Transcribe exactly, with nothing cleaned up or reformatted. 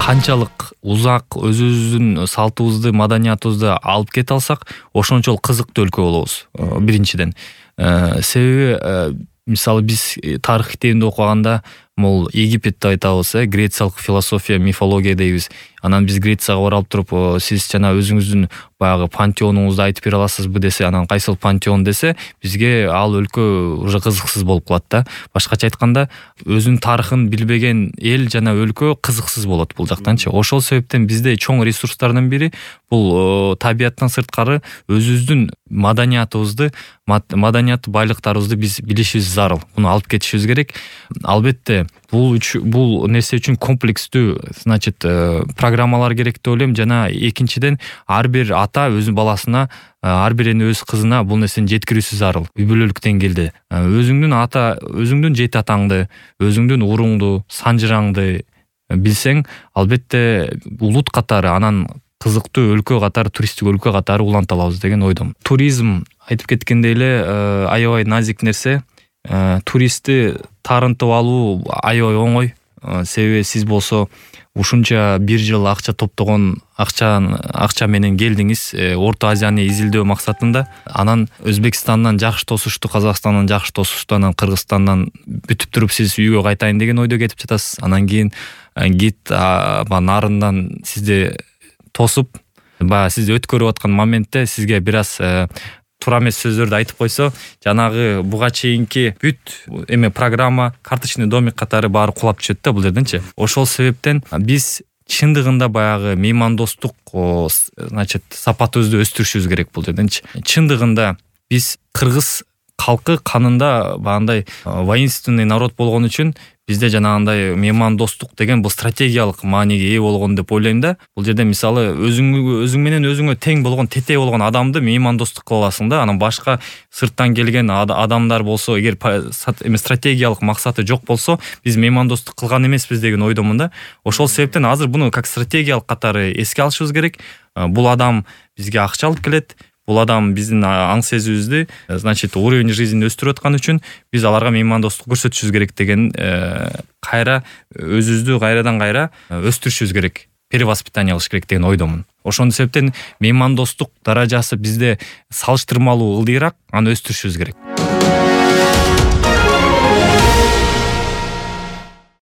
канчалык узак өзүбүздүн салтыбызды, маданиятыбызды алып кете алсак, ошончол кызыктуу өлкө болобуз. Биринчиден, себеби мисалы биз тарых китебинде окуганда, могул Египетти айтабыз, э, грециялык философия, мифология дейбиз. Анан биз Грецияга барып туруп, сиз жана өзүңүздүн баягы пантеонуңузду айтып бере аласызбы десе, анан кайсыл пантеон десе, бизге ал өлкө уже кызыксыз болуп калат да. Башкача айтканда, өзүнүн тарыхын билбеген эл жана өлкө кызыксыз болот бул жактанчы. Ошол себептен бизде чоң ресурстардын бири бул табияттан сырткары өзүбүздүн маданиятыбызды, маданият байлыктарыбызды биз билишибиз зарыл. Муну алып кетишибиз керек. Албетте, бул бул нерсе үчүн комплекстүү, значит, программалар керек деп ойлойм. Жана экинчиден, ар бир ата өзүнүн баласына, ар бир эне өз кызына бул нерсени жеткирүүсү зарыл. Үй бүлөлүк деңгээлде өзүңдүн ата, өзүңдүн жети атаңды, өзүңдүн уруңду, санжыраңды билсең, албетте улут катары, анан кызыктуу өлкө катары, туристтик өлкө катары уланта алабыз деген ойдомун. Туризм айтып кеткендей эле аябай назик нерсе. Туристти таарынтып алуу аябай оңой. Себеби сиз болсо ушунча бир жыл акча топтогон акча акча менен келдиңиз, Орто Азияны изилдөө максатында. Анан Өзбекстандан жакшы тосушту, Казакстандан жакшы тосушту, анан Кыргызстандан бүтүп туруп сиз үйгө кайтайын деген ойдо кетип жатасыз. Анан кийин гид нарындан сизди тосуп, баягы сизди өткөрүп аткан моментте сизге бир аз туура эмес сөздөрдү айтып койсо, жанагы буга чейинки бүт эме программа, карточный домик катары баары кулап түшөт да бул жерденчи. Ошол себептен биз чындыгында баягы меймандостук, значит, сапатыбызды өстүрүшүбүз керек бул жерденчи. Чындыгында биз кыргыз калкы канында баягындай воинственный народ болгон үчүн бизде жанагындай меймандостук деген бул стратегиялык мааниге ээ болгон деп ойлойм да. Бул жерде мисалы өзүң өзүң менен өзүңө тең болгон, тете болгон адамды меймандостук кыла аласың да. Анан башка сырттан келген адамдар болсо, эгер эме стратегиялык максаты жок болсо, биз меймандостук кылган эмеспиз деген ойдомун да. Ошол себептен азыр буну как стратегиялык катары эске алышыбыз керек. Бул адам бизге акча алып келет. Бул адам биздин аң сезүүбүздү, значит, уровень жизни өстүрүп аткан үчүн биз аларга меймандостук көрсөтүшүбүз керек деген кайра өзүбүздү кайрадан кайра өстүрүшүбүз керек. Перевоспитание кылыш керек деген ойдомун. Ошондой себептен меймандостук даражасы бизде салыштырмалуу ылдыйраак, аны өстүрүшүбүз керек.